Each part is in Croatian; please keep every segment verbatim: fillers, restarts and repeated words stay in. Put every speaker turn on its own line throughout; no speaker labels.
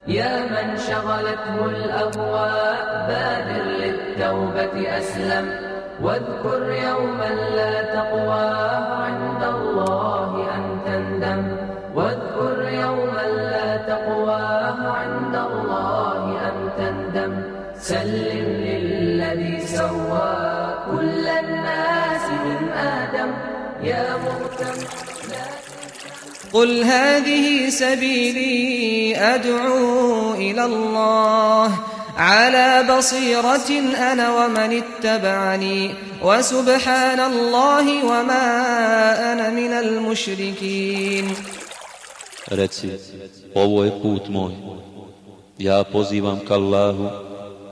يا من شغلته الأهواء بادر للتوبة أسلم واذكر يوما لا تقوى عند الله أن تندم واذكر يوما لا تقوى عند الله أن تندم سلم للذي سوى كل الناس من آدم يا مهتم
قل هذه سبيلي أدعو إلى الله على بصيرة أنا ومن اتبعني وسبحان الله وما أنا من المشركين.
Reci, ovo je put moj, ja pozivam ka Allahu,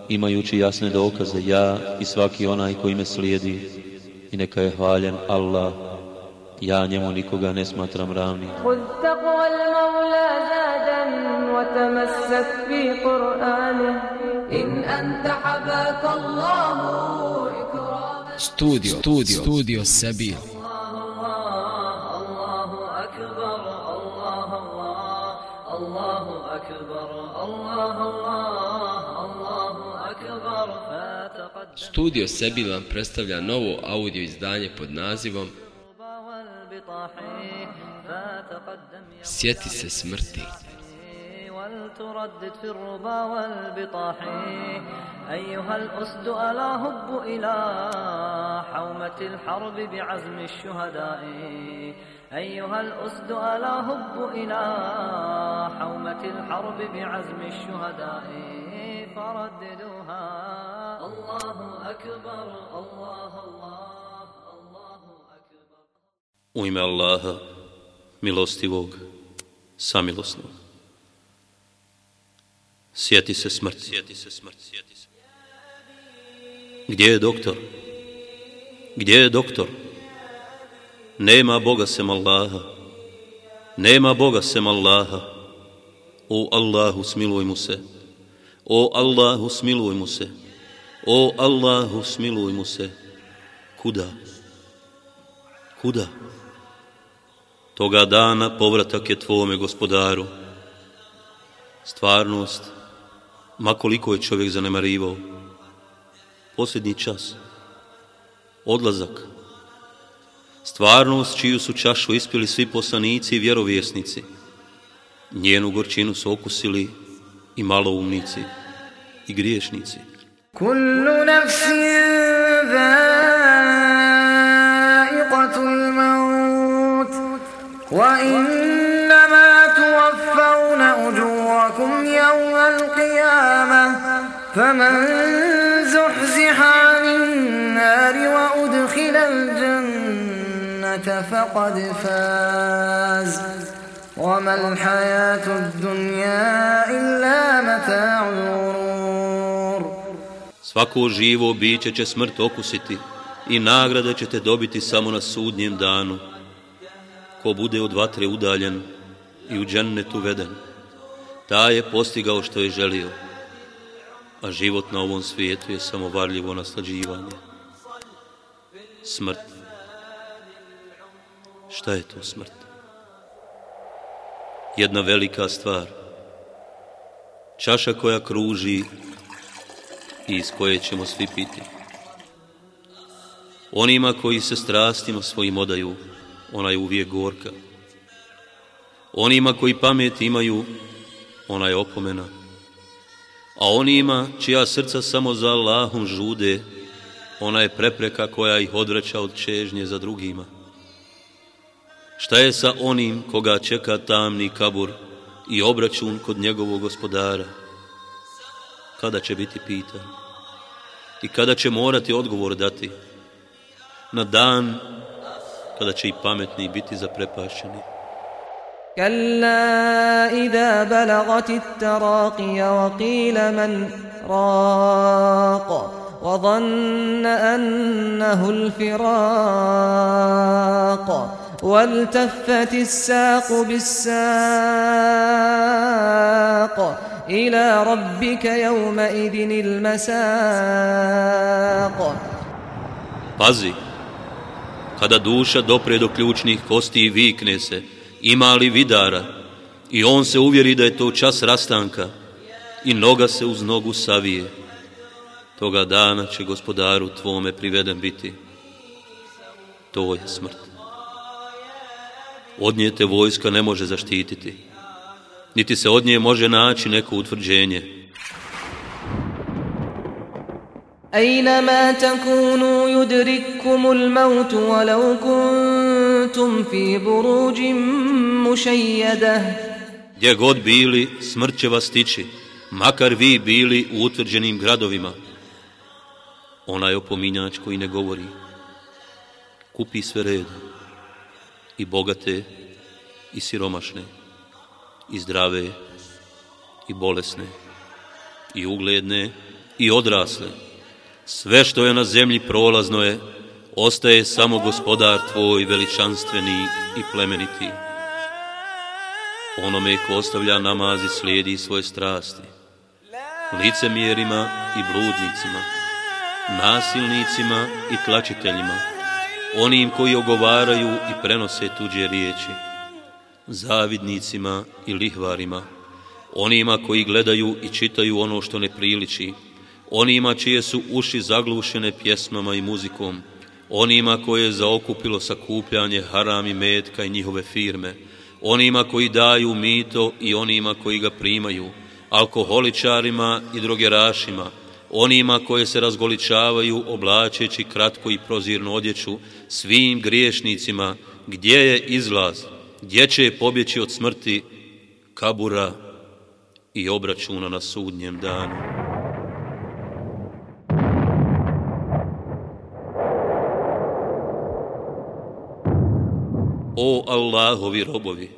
imajući jasne dokaze, ja i svaki onaj koji me slijedi, i neka je hvaljen Allah, ja njemu nikoga ne smatram ravnim.
خذ تقوى المولى زادا وتمسك في قرآنه إن أنت حباك الله إكراما.
Studio, studio, studio Sabil.
الله أكبر الله الله الله أكبر الله الله الله أكبر.
Studio Sabil vam predstavlja novo audio izdanje pod nazivom Sjeti se smrti.
ولتردد في الربا والبطاح أيها الأسد ألا هب إلى حومة الحرب بعزم الشهداء أيها الأسد ألا هب إلى حومة الحرب بعزم الشهداء فرددوها الله أكبر الله الله الله أكبر.
U ime Allaha, milostivog, samilosnog. Sjeti se smrti. Sjeti se smrti. Sjeti se. Gdje je doktor? Gdje je doktor? Nema Boga sem Allaha. Nema Boga sem Allaha. O Allahu, smiluj mu se. O Allahu, smiluj mu se. O Allahu, smiluj mu se. Kuda? Kuda? Toga dana povratak je tvome gospodaru. Stvarnost, ma koliko je čovjek zanemarivao, posljednji čas, odlazak, stvarnost čiju su čašu ispili svi poslanici i vjerovjesnici, njenu gorčinu su okusili i maloumnici i griješnici.
Kullu nafsin zaiqatul maut wa innama tuwaffawna ujurakum yawmal qiyamah faman zuhziha 'anil nari wa udkhila al-jannata faqad faz وَمَا الْحَيَاةُ الدُّنْيَا إِلَّا مَتَاعُ الْغُرُورِ.
Svako živo biće će smrt okusiti i nagrade ćete dobiti samo na sudnjem danu. Ko bude od vatre udaljen i u džennet uveden, taj je postigao što je želio, a život na ovom svijetu je samo varljivo naslađivanje. Smrt. Šta je to smrt? Jedna velika stvar, čaša koja kruži i iz koje ćemo svi piti. Onima koji se strastima svojim odaju, ona je uvijek gorka. Onima koji pamet imaju, ona je opomena. A onima čija srca samo za Allahom žude, ona je prepreka koja ih odvraća od čežnje za drugima. Šta je sa onim koga čeka tamni kabur i obračun kod njegovog gospodara? Kada će biti pitan? I kada će morati odgovor dati? Na dan kada će i pametni biti zaprepašćeni.
كلا إذا بلغت التراقي وقيل من راق وظن أنه الفراق والتفت الساق بالساق إلى ربك يومئذ المساق.
Pazi, kada duša dopre do ključnih kosti i vikne se, ima li vidara, i on se uvjeri da je to čas rastanka, i noga se uz nogu savije. Toga dana će gospodaru tvome priveden biti. To je smrt. Od nje te vojska ne može zaštititi, niti se od nje može naći neko utvrđenje.
أينما تكونوا يدرككم الموت ولو كنتم في بروج مشيدة.
Gdje god bili, smrt će vas stići, makar vi bili u utvrđenim gradovima. Onaj opominjač koji ne govori, kupi sve redom, i bogate, i siromašne, i zdrave, i bolesne, i ugledne, i odrasle. Sve što je na zemlji prolazno je, ostaje samo gospodar tvoj veličanstveni i plemeniti. Onome ko ostavlja namaz i slijedi svoje strasti, licemjerima i bludnicima, nasilnicima i tlačiteljima, onim koji ogovaraju i prenose tuđe riječi, zavidnicima i lihvarima, onima koji gledaju i čitaju ono što ne priliči, onima čije su uši zaglušene pjesmama i muzikom, onima koje je zaokupilo sakupljanje haram i metka i njihove firme, onima koji daju mito i onima koji ga primaju, alkoholičarima i drogerašima, onima koje se razgoličavaju oblačeći kratko i prozirnu odjeću, svim griješnicima, gdje je izlaz, gdje će pobjeći od smrti, kabura i obračuna na sudnjem danu. O Allahovi robovi,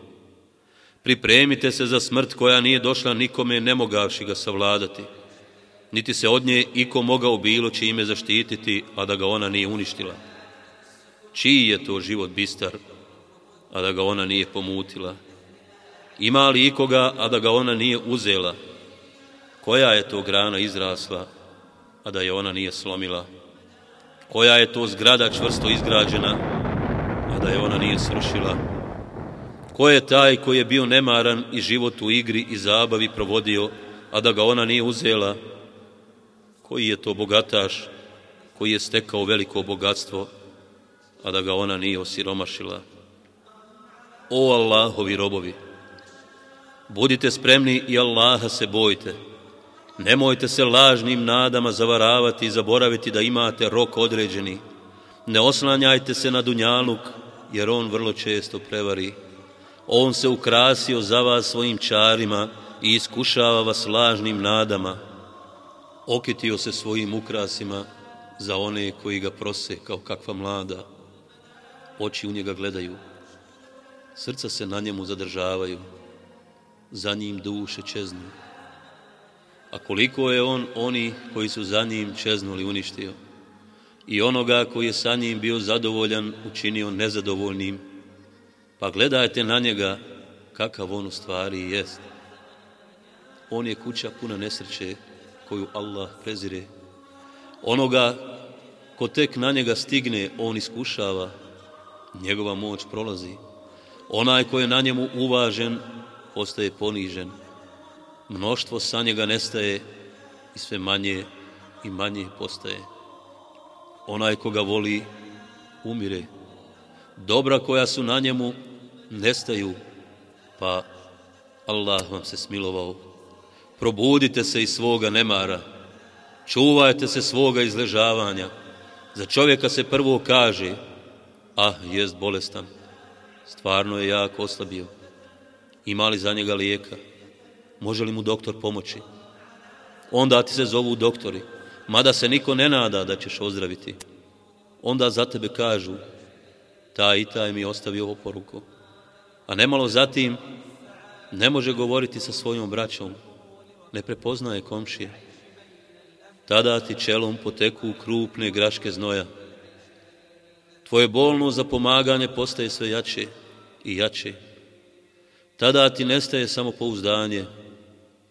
pripremite se za smrt koja nije došla nikome ne mogavši ga savladati, niti se od nje iko mogao bilo čime zaštititi, a da ga ona nije uništila. Čiji je to život bistar, a da ga ona nije pomutila? Ima li ikoga, a da ga ona nije uzela? Koja je to grana izrasla, a da je ona nije slomila? Koja je to zgrada čvrsto izgrađena, a da je ona nije srušila? Ko je taj koji je bio nemaran i život u igri i zabavi provodio, a da ga ona nije uzela? Koji je to bogataš koji je stekao veliko bogatstvo, a da ga ona nije osiromašila? O Allahovi robovi, budite spremni i Allaha se bojte. Nemojte se lažnim nadama zavaravati i zaboraviti da imate rok određeni. Ne oslanjajte se na dunjaluk, jer on vrlo često prevari. On se ukrasio za vas svojim čarima i iskušava vas lažnim nadama. Okitio se svojim ukrasima za one koji ga prose kao kakva mlada. Oči u njega gledaju, srca se na njemu zadržavaju, za njim duše čeznu. A koliko je on oni koji su za njim čeznuli uništio, i onoga koji je sa njim bio zadovoljan učinio nezadovoljnim, pa gledajte na njega kakav on u stvari jest. On je kuća puna nesreće koju Allah prezire. Onoga ko tek na njega stigne, on iskušava, njegova moć prolazi. Onaj ko je na njemu uvažen, postaje ponižen. Mnoštvo sa njega nestaje i sve manje i manje postaje. Onaj ko ga voli, umire. Dobra koja su na njemu nestaju, pa Allah vam se smilovao. Probudite se iz svoga nemara, čuvajte se svoga izležavanja. Za čovjeka se prvo kaže, ah, jest bolestan, stvarno je jako oslabio. Ima li za njega lijeka? Može li mu doktor pomoći? Onda ti se zovu doktori, mada se niko ne nada da ćeš ozdraviti. Onda za tebe kažu, taj i taj mi je ostavio oporuku. A nemalo zatim ne može govoriti sa svojom braćom, ne prepoznaje komšije. Tada ti čelom poteku krupne graške znoja. Tvoje bolno zapomaganje postaje sve jače i jače. Tada ti nestaje samopouzdanje,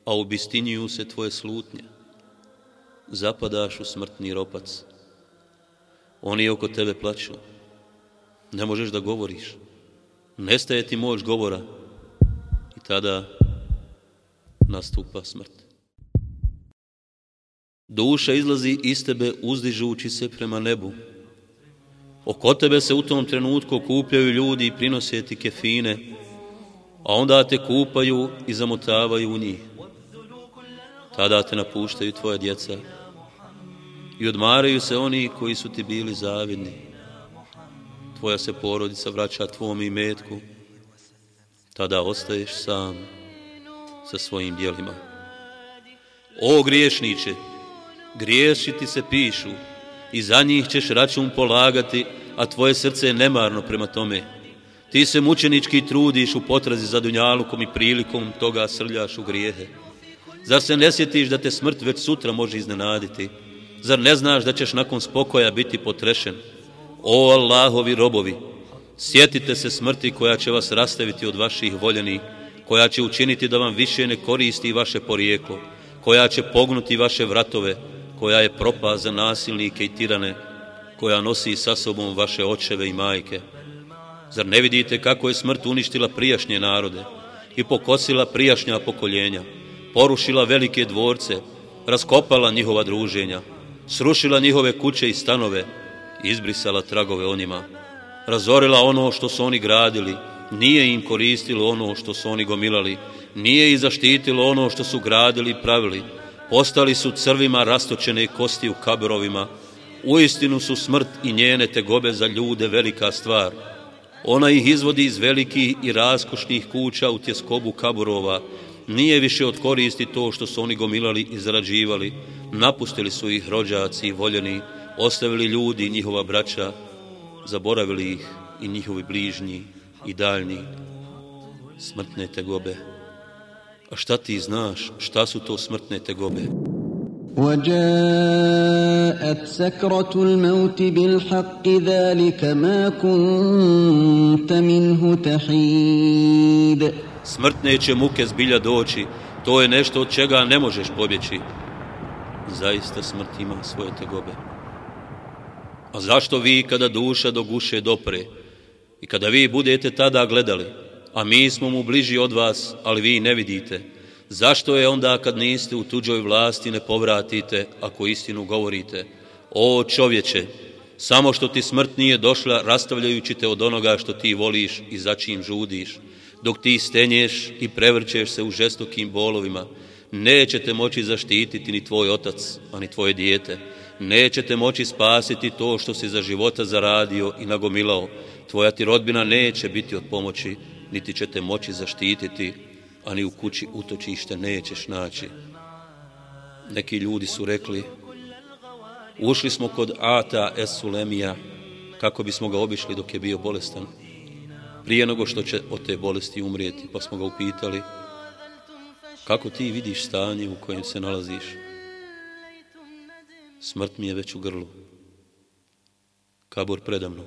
a obistinjuju se tvoje slutnje. Zapadaš u smrtni ropac. Oni oko tebe plaću. Ne možeš da govoriš. Nestaje ti moć govora. I tada nastupa smrt. Duša izlazi iz tebe uzdižući se prema nebu. Oko tebe se u tom trenutku okupljaju ljudi i prinose ti kefine, a onda te kupaju i zamotavaju u njih. Tada te napuštaju tvoja djeca i odmaraju se oni koji su ti bili zavidni. Tvoja se porodica vraća tvom imetku. Tada ostaješ sam sa svojim djelima. O griješniče, griješi ti se pišu i za njih ćeš račun polagati, a tvoje srce je nemarno prema tome. Ti se mučenički trudiš u potrazi za dunjalukom i prilikom toga srljaš u grijehe. Zar se ne sjetiš da te smrt već sutra može iznenaditi? Zar ne znaš da ćeš nakon spokoja biti potrešen? O Allahovi robovi, sjetite se smrti koja će vas rastaviti od vaših voljenih, koja će učiniti da vam više ne koristi vaše porijeklo, koja će pognuti vaše vratove, koja je propast za nasilnike i tirane, koja nosi sa sobom vaše očeve i majke. Zar ne vidite kako je smrt uništila prijašnje narode i pokosila prijašnja pokoljenja, porušila velike dvorce, raskopala njihova druženja, srušila njihove kuće i stanove, izbrisala tragove onima, razorila ono što su oni gradili, nije im koristilo ono što su oni gomilali, nije ih zaštitilo ono što su gradili i pravili, postali su crvima rastočene kosti u kaburovima. Uistinu su smrt i njene tegobe za ljude velika stvar. Ona ih izvodi iz velikih i raskošnih kuća u tjeskobu kaburova. Nije više od koristi to što su oni gomilali i zarađivali. Napustili su ih rođaci i voljeni, ostavili ljudi i njihova braća, zaboravili ih i njihovi bližnji i daljni. Smrtne tegobe. A šta ti znaš, šta su to smrtne tegobe?
وَجَاءَتْ سَكْرَةُ الْمَوْتِ بِالْحَقِّ ذَلِكَ مَا كُنْتَ مِنْهُ تَحِيدُ.
Smrtne će muke zbilja doći, to je nešto od čega ne možeš pobjeći. Zaista smrt ima svoje tegobe. A zašto vi kada duša do guše dopre i kada vi budete tada gledali, a mi smo mu bliži od vas, ali vi ne vidite, zašto je onda kad niste u tuđoj vlasti ne povratite ako istinu govorite? O čovječe, samo što ti smrt nije došla rastavljajući te od onoga što ti voliš i za čim žudiš, dok ti stenješ i prevrćeš se u žestokim bolovima, nećete moći zaštititi ni tvoj otac, a ni tvoje dijete. Nećete moći spasiti to što si za života zaradio i nagomilao. Tvoja ti rodbina neće biti od pomoći, niti ćete moći zaštititi, a ni u kući utočište nećeš naći. Neki ljudi su rekli, ušli smo kod Ata es Sulemija kako bismo ga obišli dok je bio bolestan, prije nego što će od te bolesti umrijeti, pa smo ga upitali, kako ti vidiš stanje u kojem se nalaziš? Smrt mi je već u grlu, kabur predamnom,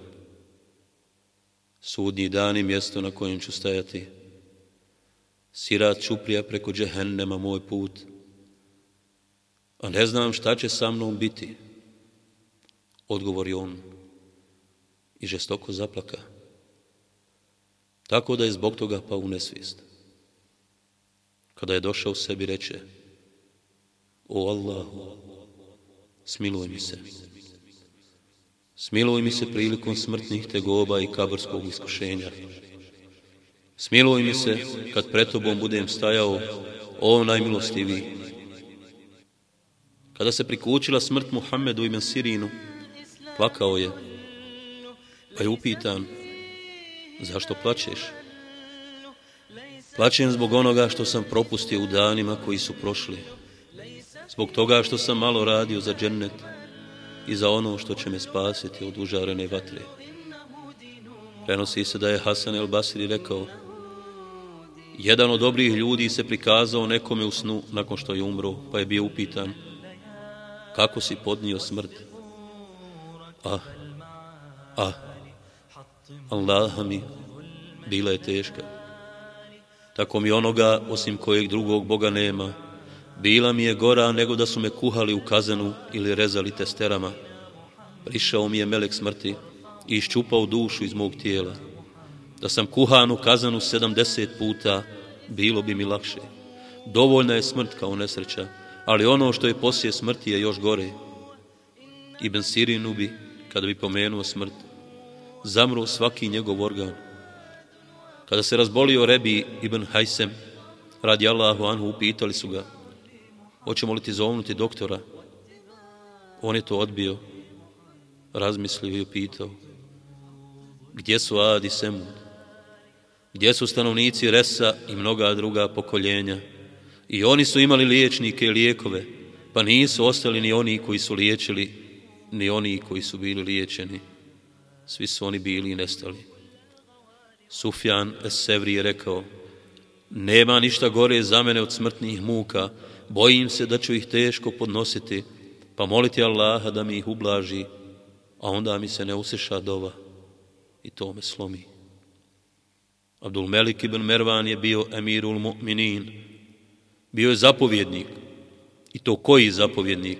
sudnji dan i mjesto na kojem ću stajati, sirat čuprija preko džehennema moj put, a ne znam šta će sa mnom biti. Odgovori on i žestoko zaplaka, tako da je zbog toga pao u nesvijest. Kada je došao sebi reče, o Allahu, smiluj mi se. Smiluj mi se prilikom smrtnih tegoba i kaburskog iskušenja. Smiluj mi se kad pred tobom budem stajao, o najmilostiviji. Kada se prikućila smrt Muhammedu ibn Sirinu, plakao je, pa je upitan, zašto plačeš? Plačem zbog onoga što sam propustio u danima koji su prošli, zbog toga što sam malo radio za džennet i za ono što će me spasiti od užarene vatre. Prenosi se da je Hasan el Basri rekao, jedan od dobrih ljudi se prikazao nekome u snu nakon što je umro, pa je bio upitan, kako si podnio smrt? Ah, ah, Allaha mi, bila je teška. Tako mi onoga, osim kojeg drugog Boga nema, bila mi je gora nego da su me kuhali u kazanu ili rezali testerama. Prišao mi je melek smrti i iščupao dušu iz mog tijela. Da sam kuhan u kazanu sedamdeset puta, bilo bi mi lakše. Dovoljna je smrt kao nesreća, ali ono što je poslije smrti je još gore. Ibn Sirinu bi, kada bi pomenuo smrt, zamro svaki njegov organ. Kada se razbolio Rebi ibn Hajsem, radi Allahu anhu, upitali su ga, hoćemo li ti zovnuti doktora? On je to odbio, razmislio i upitao, gdje su Ad i Semud? Gdje su stanovnici Resa i mnoga druga pokoljenja? I oni su imali liječnike i lijekove, pa nisu ostali ni oni koji su liječili, ni oni koji su bili liječeni. Svi su oni bili i nestali. Sufjan es-Sevri je rekao, nema ništa gore za mene od smrtnih muka, bojim se da ću ih teško podnositi, pa moliti Allaha da mi ih ublaži, a onda mi se ne usliša dova i to me slomi. Abdul Melik ibn Mervan je bio emirul mu'minin, bio je zapovjednik, i to koji zapovjednik?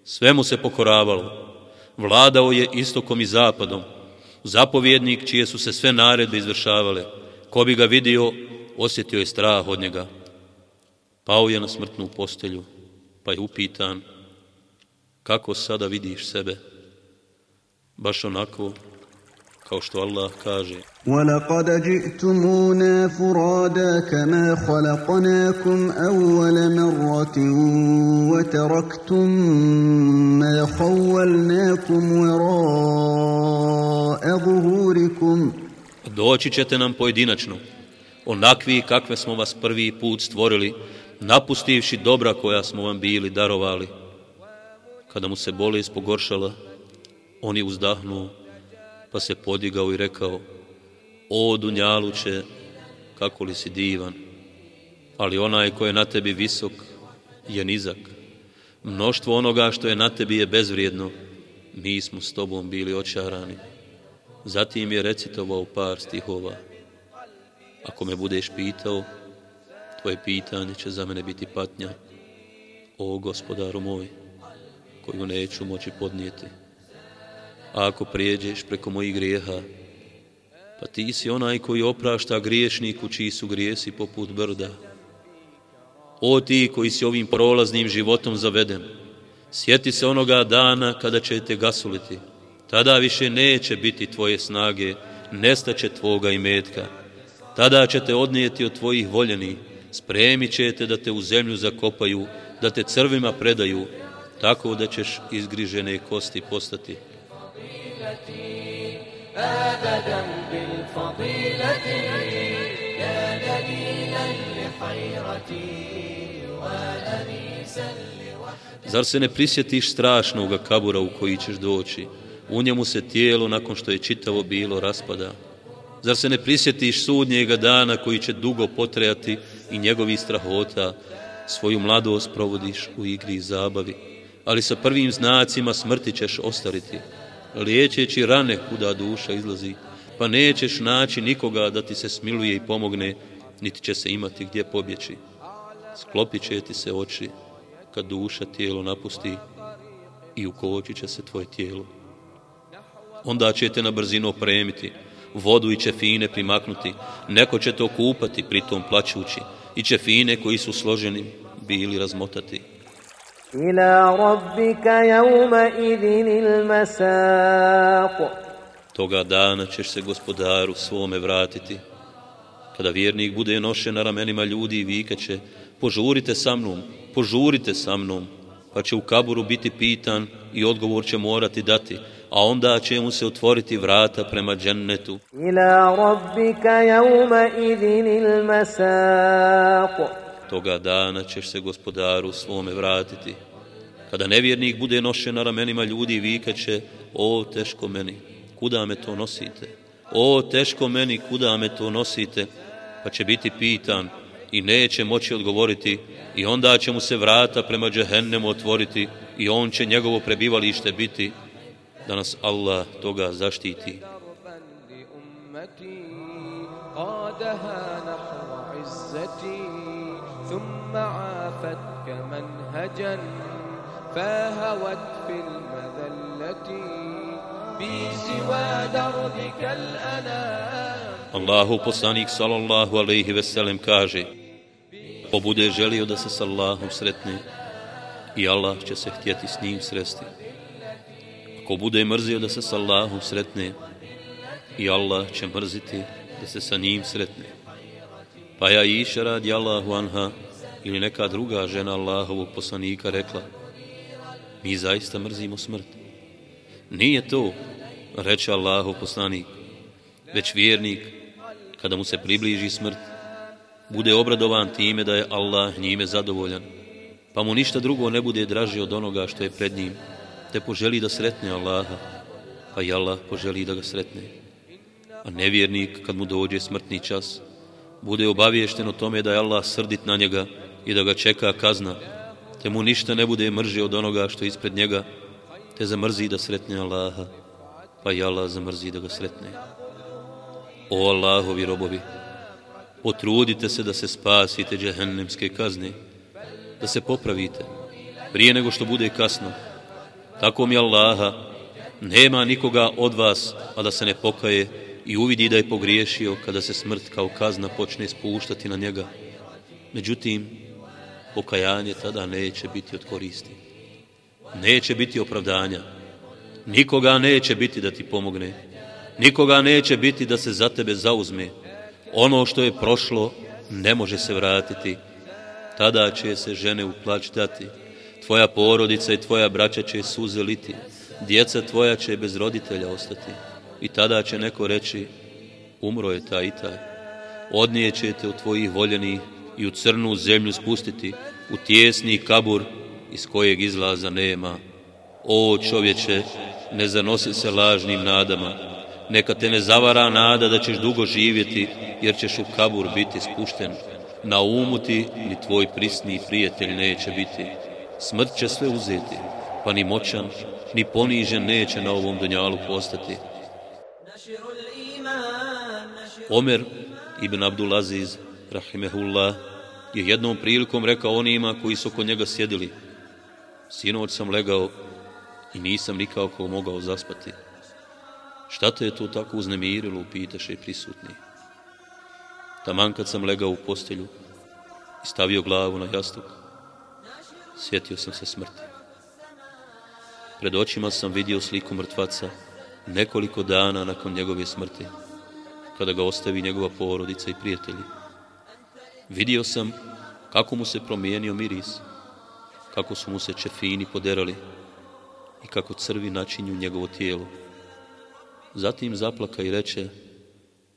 Sve mu se pokoravalo, vladao je istokom i zapadom, zapovjednik čije su se sve naredbe izvršavale, ko bi ga vidio, osjetio je strah od njega. Pao je na smrtnu postelju, pa je upitan, kako sada vidiš sebe? Baš onako kao što Allah kaže,
وَلَقَدْ جِئْتُمُونَا فُرَادَا كَمَا خَلَقْنَاكُمْ أَوَّلَ مَرَّةٍ وَتَرَكْتُم مَّا خَوَّلْنَاكُمْ وَرَاءَ ظُهُورِكُمْ.
doći ćete nam pojedinačno, onakvi kakve smo vas prvi put stvorili, napustivši dobra koja smo vam bili darovali. Kada mu se bolest pogoršala, on je uzdahnuo, pa se podigao i rekao, o dunjaluče, kako li si divan, ali onaj ko je na tebi visok je nizak. Mnoštvo onoga što je na tebi je bezvrijedno, mi smo s tobom bili očarani. Zatim je recitovao par stihova. Ako me budeš pitao, tvoje pitanje će za mene biti patnja, o gospodaru moj, koju neću moći podnijeti. A ako prijeđeš preko mojih grijeha, pa ti si onaj koji oprašta griješniku čiji su grijesi poput brda. O ti koji si ovim prolaznim životom zaveden, sjeti se onoga dana kada će te gasuliti. Tada više neće biti tvoje snage, nestaće tvoga imetka. Tada će te odnijeti od tvojih voljeni, spremit će te da te u zemlju zakopaju, da te crvima predaju, tako da ćeš izgrižene kosti postati.
أبدا بالفضيلة يا دليلا لخيرتي وأنيسا لوحدتي.
Zar se ne prisjetiš strašnoga kabura u koji ćeš doći? U njemu se tijelo, nakon što je čitavo bilo, raspada. Zar se ne prisjetiš sudnjega dana koji će dugo potrajati i njegovih strahota? Svoju mladost provodiš u igri i zabavi, ali sa prvim znacima smrti ćeš ostariti. Liječeći rane kuda duša izlazi, pa nećeš naći nikoga da ti se smiluje i pomogne, niti će se imati gdje pobjeći. Sklopit će ti se oči kad duša tijelo napusti i ukočit će se tvoje tijelo. Onda će te na brzinu opremiti, vodu i čefine primaknuti, neko će te okupati, pritom plaćući, i čefine koji su složeni bili razmotati.
إلى ربك يومئذ المساق.
Toga dana ćeš se gospodaru svome vratiti. Kada vjernik bude nošen na ramenima ljudi i vikaće, požurite sa mnom, požurite sa mnom, pa će u kaburu biti pitan i odgovor će morati dati, a onda će mu se otvoriti vrata prema džennetu.
إلى ربك يومئذ المساق.
Toga dana ćeš se gospodaru svome vratiti. Kada nevjernik bude nošen na ramenima ljudi i vikaće, o teško meni, kuda me to nosite? O teško meni, kuda me to nosite? Pa će biti pitan i neće moći odgovoriti, i onda će mu se vrata prema džehennemu otvoriti i on će njegovo prebivalište biti, da nas Allah toga zaštiti.
ثم عافتك منهجا فهوت في المذلة بسوى دربك الأنام.
Allahu poslanik sallallahu alejhi ve sellem kaže: ko bude želio da se s Allahom sretne, i Allah će se htjeti s njim sresti. Ako bude mrzio da se s Allahom sretne, i Allah će mrziti da se sa njim sretne. Pa ja Iša radi Allahu anha ili neka druga žena Allahovog poslanika rekla: mi zaista mrzimo smrt. Nije to, reče Allahov poslanik, već vjernik, kada mu se približi smrt, bude obradovan time da je Allah njime zadovoljan, pa mu ništa drugo ne bude draže od onoga što je pred njim, te poželi da sretne Allaha, pa i Allah poželi da ga sretne. A nevjernik, kad mu dođe smrtni čas, bude obaviješten o tome da je Allah srdit na njega i da ga čeka kazna, te mu ništa ne bude mrže od onoga što je ispred njega, te zamrzi da sretne Allaha, pa i Allah zamrzi da ga sretne. O Allahovi robovi, potrudite se da se spasite džehennemske kazne, da se popravite prije nego što bude kasno. Tako mi Allaha, nema nikoga od vas, a da se ne pokaje i uvidi da je pogriješio kada se smrt kao kazna počne spuštati na njega. Međutim, pokajanje tada neće biti od koristi. Neće biti opravdanja. Nikoga neće biti da ti pomogne. Nikoga neće biti da se za tebe zauzme. Ono što je prošlo ne može se vratiti. Tada će se žene u plać dati. Tvoja porodica i tvoja braća će suze liti. Djeca tvoja će bez roditelja ostati. I tada će neko reći: umro je taj i taj. Odnijećete u tvojih voljenih i u crnu zemlju spustiti, u tijesni kabur iz kojeg izlaza nema. O čovječe, ne zanosi se lažnim nadama. Neka te ne zavara nada da ćeš dugo živjeti, jer ćeš u kabur biti spušten. Na umu ti ni tvoj prisni prijatelj neće biti. Smrt će sve uzeti, pa ni moćan, ni ponižen neće na ovom dunjalu postati. Omer ibn Abdulaziz, rahimehullah, je jednom prilikom rekao onima koji su oko njega sjedili: sinoć sam legao i nisam nikako mogao zaspati. Šta te je to tako uznemirilo, upitaše prisutni. Taman kad sam legao u postelju i stavio glavu na jastuk, sjetio sam se smrti. Pred očima sam vidio sliku mrtvaca nekoliko dana nakon njegove smrti, kada ga ostavi njegova porodica i prijatelji. Vidio sam kako mu se promijenio miris, kako su mu se čefini poderali i kako crvi načinju njegovo tijelo. Zatim zaplaka i reče: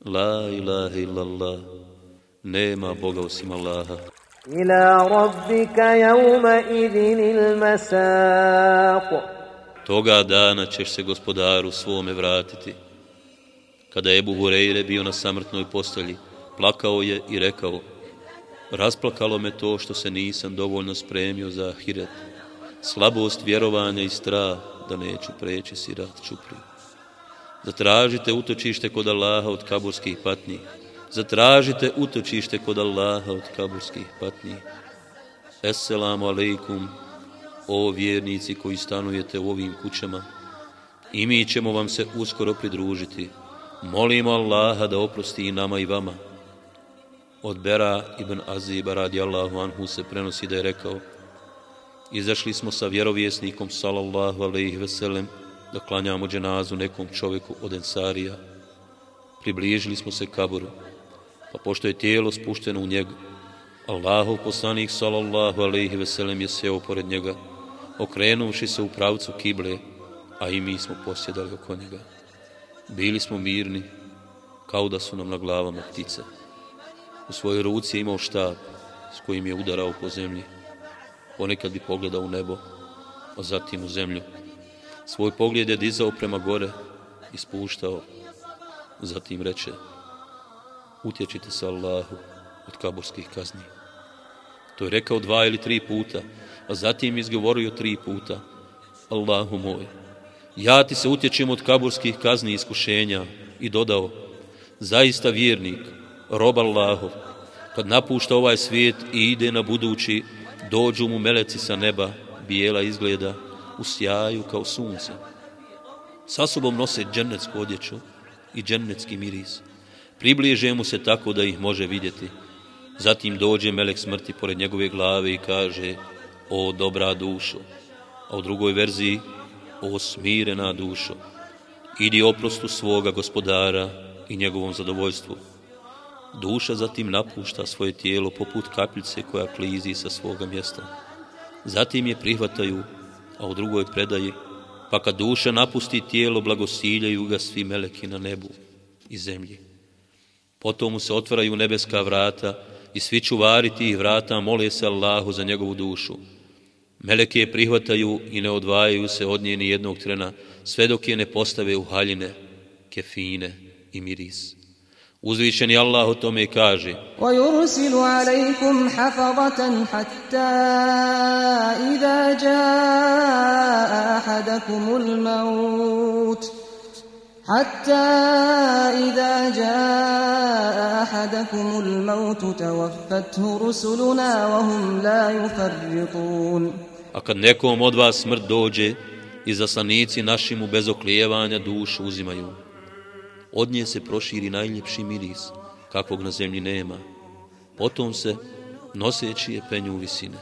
la ilaha illallah, nema Boga osim Allaha.
إلى ربك يومئذ المساق.
Toga dana ćeš se gospodaru svome vratiti. Kada je Ebu Hureyre bio na samrtnoj postelji, plakao je i rekao: rasplakalo me to što se nisam dovoljno spremio za ahiret, slabost vjerovanja i strah da neću preći sirat čupri. Zatražite utočište kod Allaha od kaburskih patnji. Zatražite utočište kod Allaha od kaburskih patnji. Esselamu alejkum, o vjernici koji stanujete u ovim kućama, i mi ćemo vam se uskoro pridružiti. Molimo Allaha da oprosti i nama i vama. Od Bera ibn Aziba radijallahu anhu se prenosi da je rekao: izašli smo sa vjerovjesnikom sallallahu alejhi ve sellem da klanjamo dženazu nekom čovjeku od Ensarija. Približili smo se kaburu, pa pošto je tijelo spušteno u njega, Allahov poslanik sallallahu alejhi ve sellem je sjeo pored njega, okrenuvši se u pravcu kible, a i mi smo posjedali oko njega. Bili smo mirni, kao da su nam na glavama ptice. U svojoj ruci je imao štap s kojim je udarao po zemlji. Ponekad bi pogledao u nebo, a zatim u zemlju. Svoj pogled je dizao prema gore i spuštao. Zatim reče: utječite se Allahu od kaburskih kazni. To je rekao dva ili tri puta, a zatim izgovorio tri puta: Allahu moj, ja ti se utječem od kaburskih kazni i iskušenja. I dodao: zaista vjernik, rob Allahov, kad napušta ovaj svijet i ide na budući, dođu mu meleci sa neba, bijela izgleda, u sjaju kao sunce. Sa sobom nose džennetsku odjeću i džennetski miris. Približe mu se tako da ih može vidjeti. Zatim dođe melek smrti pored njegove glave i kaže: o dobra dušo, a u drugoj verziji, o smirena dušo, idi oprostu svoga gospodara i njegovom zadovoljstvu. Duša zatim napušta svoje tijelo poput kapljice koja klizi sa svoga mjesta. Zatim je prihvataju, a u drugoj predaji, pa kad duša napusti tijelo, blagosiljaju ga svi meleki na nebu i zemlji. Potom mu se otvaraju nebeska vrata i svi čuvari tih vrata mole se Allahu za njegovu dušu. Meleke je prihvataju i ne odvajaju se od nje ni jednog trena, sve dok je ne postave u haljine, kefine i miris. Uzvišeni Allah o tome kaže:
وَيُرْسِلُ عَلَيْكُمْ حَفَظَةً حَتَّى إِذَا جَاءَ أَحَدَكُمُ الْمَوْتُ حَتَّى إِذَا جَاءَ أَحَدَكُمُ الْمَوْتُ تَوَفَّتْهُ رُسُلُنَا وَهُمْ لَا يُفَرِّطُونَ.
A kad nekom od vas smrt dođe, izaslanici naši mu bez oklijevanja dušu uzimaju. Od nje se proširi najljepši miris, kakvog na zemlji nema. Potom se, noseći je, penju u visine.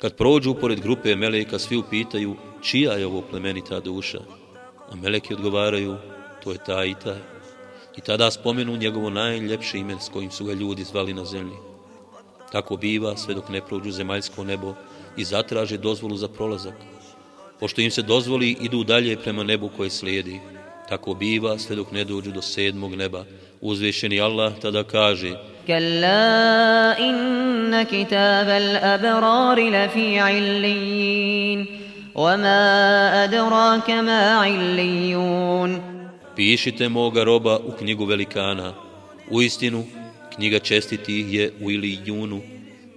Kad prođu pored grupe meleka, svi upitaju čija je ovo plemenita duša, a meleki odgovaraju, to je taj i taj. I tada spomenu njegovo najljepše ime s kojim su ga ljudi zvali na zemlji. Tako biva sve dok ne prođu zemaljsko nebo i zatraže dozvolu za prolazak. Pošto im se dozvoli, idu dalje prema nebu koje slijedi. Tako biva sve dok ne dođu do sedmog neba. Uzvišeni Allah tada kaže:
كلا إن كتاب الأبرار لفي عليين وما أدراك ما عليون.
Pišite moga roba u knjigu velikana. Uistinu, knjiga čestitih je u Ilijunu,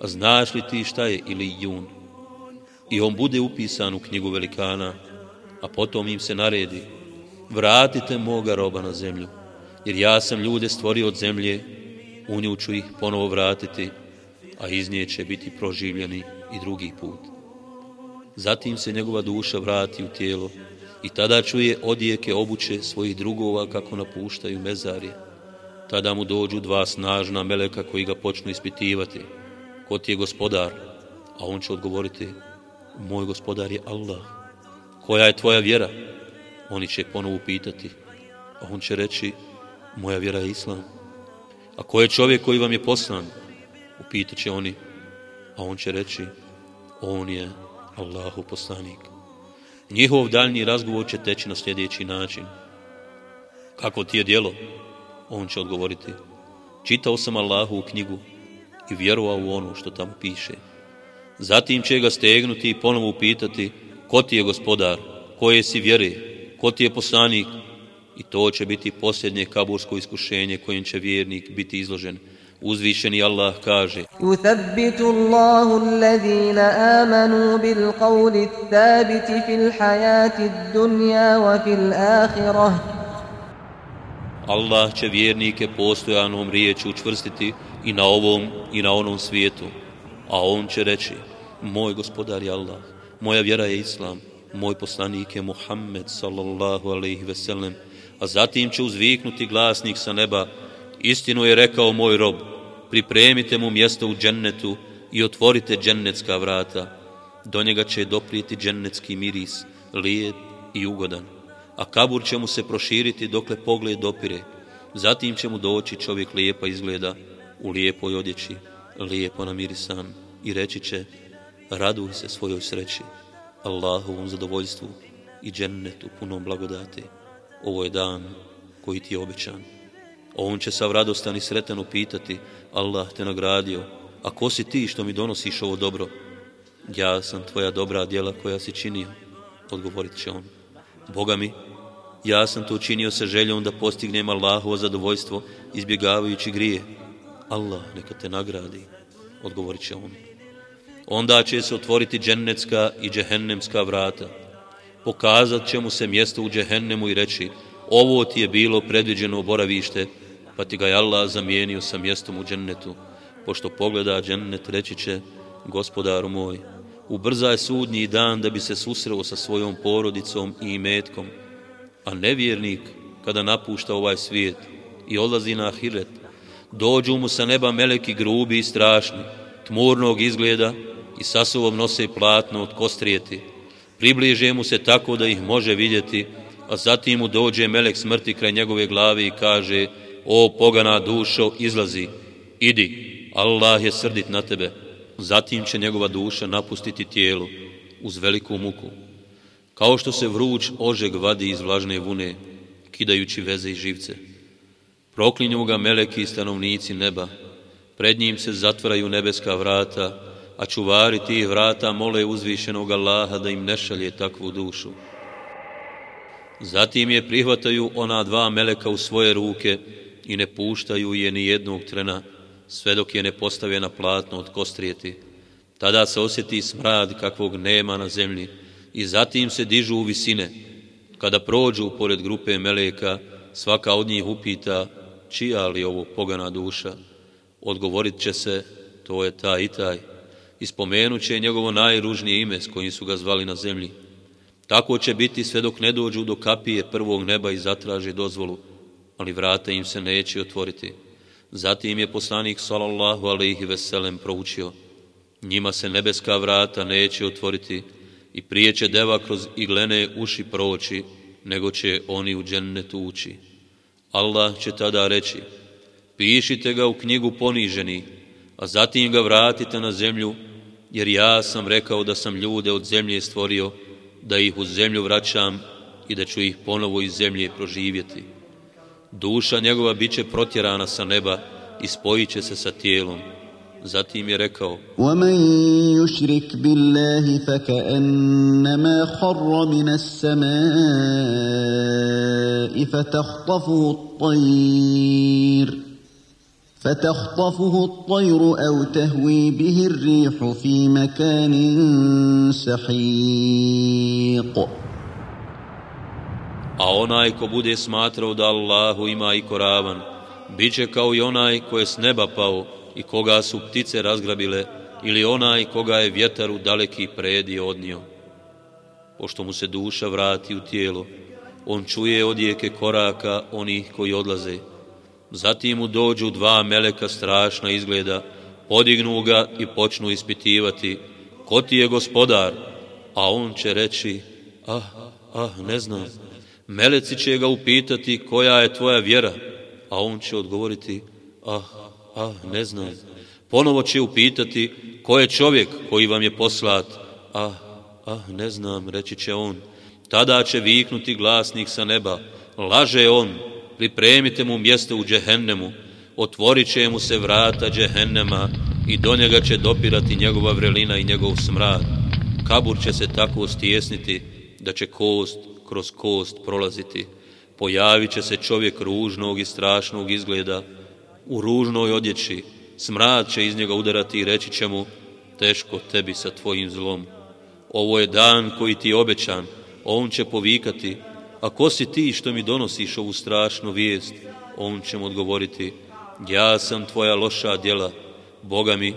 a znaš li ti šta je Ilijun? I on bude upisan u knjigu velikana, a potom im se naredi: vratite moga roba na zemlju, jer ja sam ljude stvorio od zemlje, u nju ću ih ponovo vratiti, a iz nje će biti proživljeni i drugi put. Zatim se njegova duša vrati u tijelo i tada čuje odjeke obuće svojih drugova kako napuštaju mezarje. Tada mu dođu dva snažna meleka koji ga počnu ispitivati: ko ti je gospodar? A on će odgovoriti: moj gospodar je Allah. Koja je tvoja vjera? Oni će ponovo pitati, a on će reći: moja vjera je Islam. A ko je čovjek koji vam je poslan? Upitat će oni, a on će reći: on je Allahu poslanik. Njihov daljnji razgovor će teći na sljedeći način: kako ti je djelo? On će odgovoriti: čitao sam Allahu u knjigu i vjerovao u ono što tamo piše. Zatim će ga stegnuti i ponovo upitati: ko ti je gospodar? Koje si vjere? Ko ti je poslanik? I to će biti posljednje kabursko iskušenje kojim će vjernik biti izložen. Uzvišeni Allah kaže:
يُثَبِّتُ اللَّهُ الَّذِينَ آمَنُوا بِالْقَوْلِ الثَّابِتِ فِي الْحَيَاةِ الدُّنْيَا وَفِي الْآخِرَةِ.
Allah će vjernike postojanom riječu učvrstiti i na ovom i na onom svijetu. A on će reći: moj gospodar je Allah, moja vjera je Islam, moj poslanik je Muhammed sallallahu alejhi ve sellem. A zatim će uzviknuti glasnik sa neba: istinu je rekao moj rob, pripremite mu mjesto u džennetu i otvorite džennetska vrata. Do njega će doprijeti džennetski miris, lijep i ugodan. A kabur će mu se proširiti dokle pogled dopire. Zatim će mu doći čovjek lijepa izgleda, u lijepoj odjeći, lijepo namirisan, i reći će: raduj se svojoj sreći, Allahovom zadovoljstvu i džennetu punom blagodati. Ovo je dan koji ti je obećan. On će sav radostan i sretan upitati: Allah te nagradio, a ko si ti što mi donosiš ovo dobro? Ja sam tvoja dobra djela koja si činio, odgovorit će on. Boga mi, ja sam to učinio sa željom da postignem Allahovo zadovoljstvo izbjegavajući grije. Allah neka te nagradi, odgovorit će on. Onda će se otvoriti džennetska i džehennemska vrata. Pokazat će mu se mjesto u džehennemu i reći: ovo ti je bilo predviđeno boravište, pa ti ga je Allah zamijenio sa mjestom u džennetu. Pošto pogleda džennet, reći će: gospodaru moj, ubrzaj sudnji dan da bi se susreo sa svojom porodicom i imetkom. A nevjernik, kada napušta ovaj svijet i odlazi na ahiret, dođu mu sa neba meleki grubi i strašni, tmurnog izgleda, i sa sobom nose platno od kostrijeti. Približe mu se tako da ih može vidjeti, a zatim mu dođe melek smrti kraj njegove glave i kaže: o pogana dušo, izlazi, idi, Allah je srdit na tebe. Zatim će njegova duša napustiti tijelo uz veliku muku. Kao što se vruć ožeg vadi iz vlažne vune, kidajući veze i živce. Proklinju ga meleki i stanovnici neba, pred njim se zatvaraju nebeska vrata, a čuvari tih vrata mole uzvišenog Allaha da im ne šalje takvu dušu. Zatim je prihvataju ona dva meleka u svoje ruke i ne puštaju je ni jednog trena, sve dok je ne postave na platno od kostrijeti. Tada se osjeti smrad kakvog nema na zemlji i zatim se dižu u visine. Kada prođu pored grupe meleka, svaka od njih upita: čija li ovo pogana duša? Odgovorit će se: to je taj i taj. I spomenut će njegovo najružnije ime s kojim su ga zvali na zemlji. Tako će biti sve dok ne dođu do kapije prvog neba i zatraže dozvolu, ali vrata im se neće otvoriti. Zatim je poslanik sallallahu alejhi ve sellem proučio: njima se nebeska vrata neće otvoriti i prije će deva kroz iglene uši proći, nego će oni u džennetu ući. Allah će tada reći: pišite ga u knjigu poniženi, a zatim ga vratite na zemlju, jer ja sam rekao da sam ljude od zemlje stvorio, da ih u zemlju vraćam i da ću ih ponovo iz zemlje proživjeti. Duša njegova bit će protjerana sa neba i spojit će se sa tijelom. Zatim je rekao:
وَمَنْ يُشْرِكْ بِاللَّهِ فَكَأَنَّمَا خَرَّ مِنَ السَّمَاءِ فَتَخْطَفُهُ الطَّيْرُ فتخطفه الطير أو تهوي به الريح في مكان سحيق.
A onaj ko bude smatrao da Allahu ima i ko ravan, bit će kao i onaj ko je s neba pao i koga su ptice razgrabile, ili onaj koga je vjetar u daleki predio odnio. Pošto mu se duša vrati u tijelo, on čuje odjeke koraka onih koji odlaze. Zatim mu dođu dva meleka strašna izgleda, podignu ga i počnu ispitivati: ko ti je gospodar? A on će reći: ah, ah, ne znam. Meleci će ga upitati: koja je tvoja vjera? A on će odgovoriti: ah, ah, ne znam. Ponovo će upitati: ko je čovjek koji vam je poslat? Ah, ah, ne znam, reći će on. Tada će viknuti glasnik sa neba: laže on, pripremite mu mjesto u džehennemu, otvorit će mu se vrata džehennema i do njega će dopirati njegova vrelina i njegov smrad. Kabur će se tako stijesniti da će kost kroz kost prolaziti. Pojavit će se čovjek ružnog i strašnog izgleda, u ružnoj odjeći, smrad će iz njega udarati i reći će mu: teško tebi sa tvojim zlom. Ovo je dan koji ti je obećan. On će povikati: a ko si ti što mi donosiš ovu strašnu vijest? On će mu odgovoriti: ja sam tvoja loša djela. Boga mi,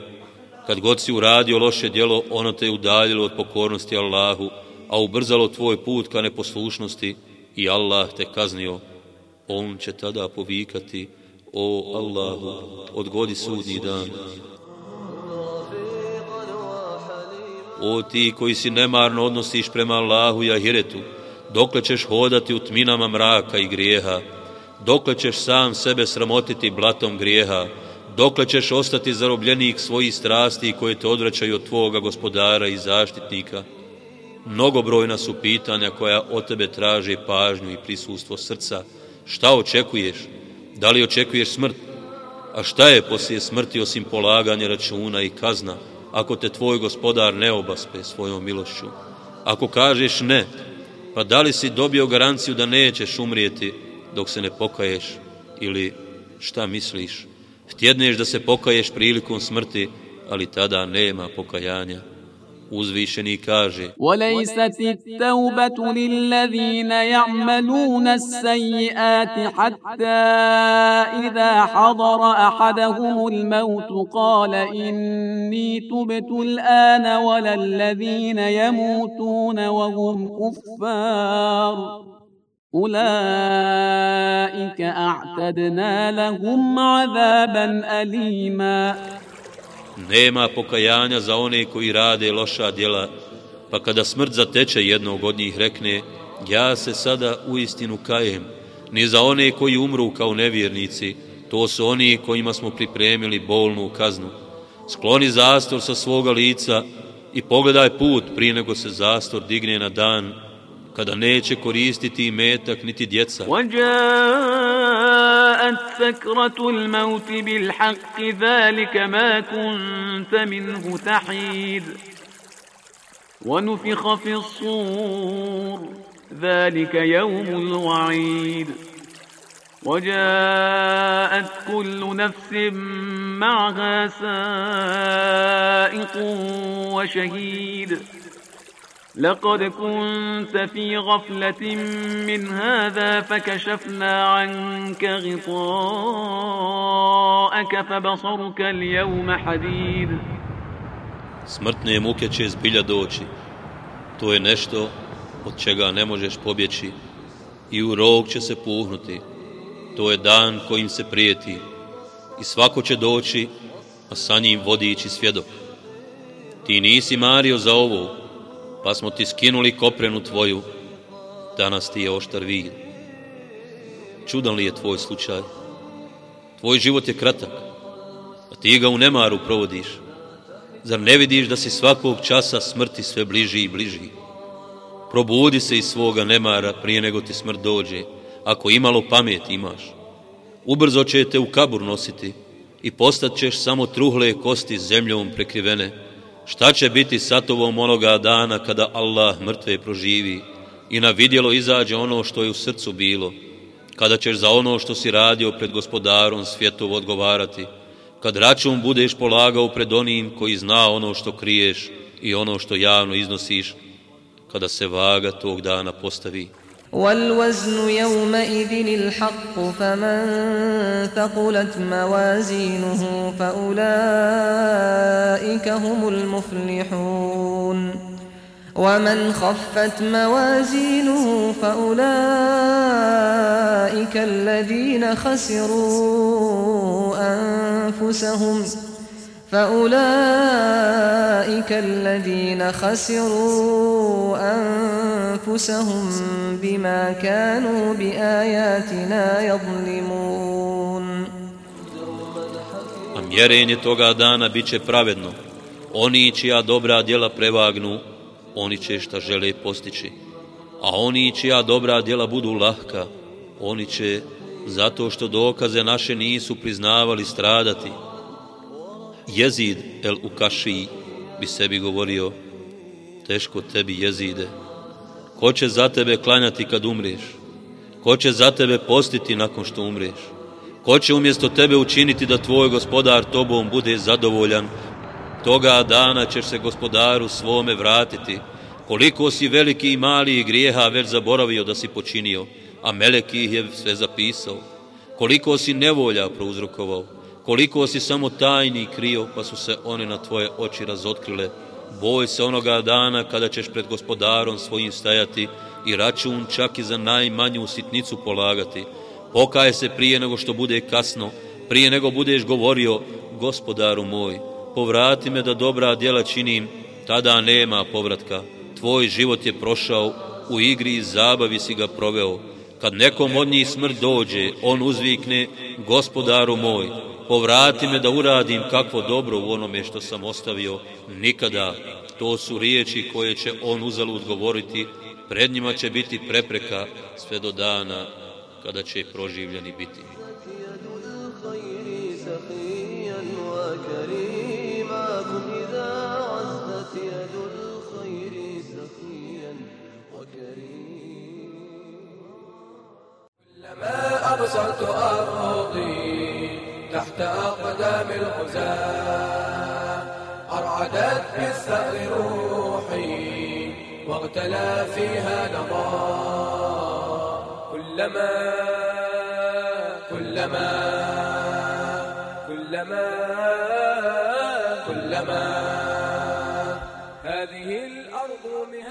kad god si uradio loše djelo, ono te je udaljilo od pokornosti Allahu, a ubrzalo tvoj put ka neposlušnosti i Allah te kaznio. On će tada povikati: o Allahu, odgodi sudnji dan. O ti koji si nemarno odnosiš prema Allahu i ahiretu, dokle ćeš hodati u tminama mraka i grijeha, dokle ćeš sam sebe sramotiti blatom grijeha, dokle ćeš ostati zarobljenik svojih strasti koje te odvraćaju od tvoga gospodara i zaštitnika. Mnogobrojna su pitanja koja od tebe traže pažnju i prisustvo srca. Šta očekuješ? Da li očekuješ smrt? A šta je poslije smrti osim polaganja računa i kazna, ako te tvoj gospodar ne obaspe svojom milošću? Ako kažeš ne, pa da li si dobio garanciju da nećeš umrijeti dok se ne pokaješ? Ili šta misliš? Htjedneš da se pokaješ prilikom smrti, ali tada nema pokajanja. Uzvišeni kaže:
وَلَيْسَتِ التَّوْبَةُ لِلَّذِينَ يَعْمَلُونَ السَّيِّئَاتِ حَتَّى إِذَا حَضَرَ أَحَدَهُمُ الْمَوْتُ قَالَ إِنِّي تُبْتُ الْآنَ وَلَا الَّذِينَ يَمُوتُونَ وَهُمْ كُفَّارٌ أُولَئِكَ أَعْتَدْنَا لَهُمْ عَذَابًا أَلِيمًا.
Nema pokajanja za one koji rade loša djela, pa kada smrt zateče jednog od njih rekne, ja se sada uistinu kajem, ni za one koji umru kao nevjernici, to su oni kojima smo pripremili bolnu kaznu. Skloni zastor sa svoga lica i pogledaj put prije nego se zastor digne na dan, kada neće koristiti imetak niti djeca.
وَجَاءَتْ سَكْرَةُ الْمَوْتِ بِالْحَقِّ ذَلِكَ مَا كُنْتَ مِنْهُ تَحِيدُ وَنُفِخَ فِي الصُّورِ ذَلِكَ يَوْمُ الْوَعِيدِ وَجَاءَتْ كُلُّ نَفْسٍ مَعَهَا سَائِقٌ وَشَهِيدٌ لقد كنت في غفلة من هذا فكشفنا عنك غطاءك فبصرك اليوم حديد.
Smrtne muke će zbilja doći. To je nešto od čega ne možeš pobjeći i u rog će se puhnuti. To je dan kojim se prijeti i svako će doći, a sa njim vodič i svjedok. Ti nisi mario za ovo, pa smo ti skinuli koprenu tvoju, danas ti je oštar vid. Čudan li je tvoj slučaj? Tvoj život je kratak, a ti ga u nemaru provodiš. Zar ne vidiš da si svakog časa smrti sve bliži i bliži? Probudi se iz svoga nemara prije nego ti smrt dođe, ako imalo pameti imaš. Ubrzo će te u kabur nositi i postat ćeš samo truhle kosti zemljom prekrivene. Šta će biti sa tobom onoga dana kada Allah mrtve proživi i na vidjelo izađe ono što je u srcu bilo, kada ćeš za ono što si radio pred gospodarom svjetov odgovarati, kad račun budeš polagao pred onim koji zna ono što kriješ i ono što javno iznosiš, kada se vaga tog dana postavi.
والوزن يومئذ الحق فمن ثقلت موازينه فأولئك هم المفلحون ومن خفت موازينه فأولئك الذين خسروا أنفسهم فأولئك الذين خسروا أنفسهم بما كانوا بآياتنا يظلمون.
A mjerenje toga dana bit će pravedno. Oni čija dobra djela prevagnu, oni će šta žele postići. A oni čija dobra djela budu lahka, oni će, zato što dokaze naše nisu priznavali, stradati. Jezid el Ukaši bi sebi govorio, teško tebi Jezide, ko će za tebe klanjati kad umreš? Ko će za tebe postiti nakon što umreš? Ko će umjesto tebe učiniti da tvoj gospodar tobom bude zadovoljan? Toga dana ćeš se gospodaru svome vratiti. Koliko si veliki i mali grijeha već zaboravio da si počinio, a melek ih je sve zapisao. Koliko si nevolja prouzrokovao, koliko si samo tajni krio, pa su se one na tvoje oči razotkrile. Boj se onoga dana kada ćeš pred gospodarom svojim stajati i račun čak i za najmanju sitnicu polagati. Pokaj se prije nego što bude kasno, prije nego budeš govorio, gospodaru moj, povrati me da dobra djela činim, tada nema povratka. Tvoj život je prošao, u igri i zabavi si ga proveo. Kad nekom od njih smrt dođe, on uzvikne, gospodaru moj, povrati me da uradim kakvo dobro u onome što sam ostavio. Nikada. To su riječi koje će on uzalud govoriti, pred njima će biti prepreka sve do dana kada će proživljeni biti.
كلما أبصرت أرضي تحت أقدام الغزاة أرعدت بالثأر روحي واغتلى فيها نضاء. كلما كلما كلما كلما هذه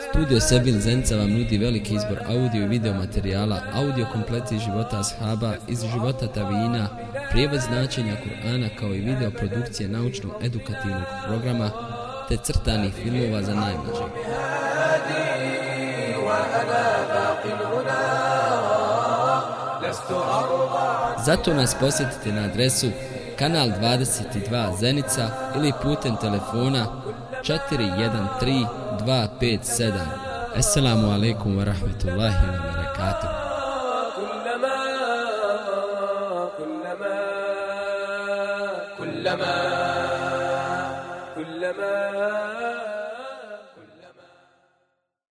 Studio Sebil Zenica vam nudi veliki izbor audio i video materijala, audio kompleti iz života ashaba, iz života tavina, prijevod značenja Kur'ana kao i video produkcije naučno-edukativnog programa te crtanih filmova za najmlađe. Zato nas posjetite na adresu Kanal dvadeset dva Zenica ili putem telefona četiri jedan tri dva pet sedam. Assalamu alaikum wa rahmatullahi wa barakatuh.
كلما كلما